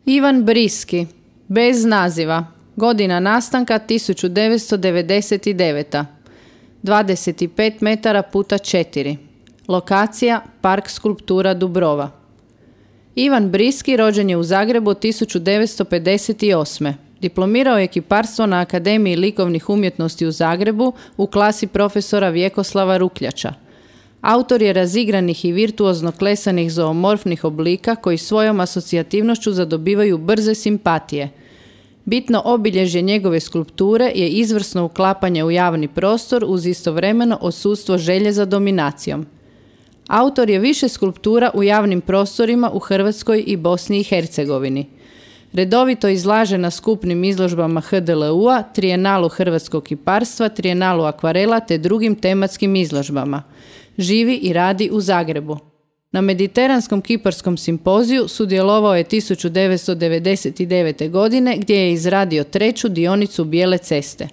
Ivan Briski, bez naziva, godina nastanka 1999. 25 metara puta 4. Lokacija Park skulptura Dubrova. Ivan Briski rođen je u Zagrebu 1958. Diplomirao je kiparstvo na Akademiji likovnih umjetnosti u Zagrebu u klasi profesora Vjekoslava Rukljača. Autor je razigranih i virtuozno klesanih zoomorfnih oblika koji svojom asocijativnošću zadobivaju brze simpatije. Bitno obilježje njegove skulpture je izvrsno uklapanje u javni prostor uz istovremeno odsustvo želje za dominacijom. Autor je više skulptura u javnim prostorima u Hrvatskoj i Bosni i Hercegovini. Redovito izlaže na skupnim izložbama HDLU-a, Trijenalu hrvatskog kiparstva, Trijenalu akvarela te drugim tematskim izložbama. Živi i radi u Zagrebu. Na Mediteranskom kiparskom simpoziju sudjelovao je 1999. godine gdje je izradio 3. dionicu Bijele ceste.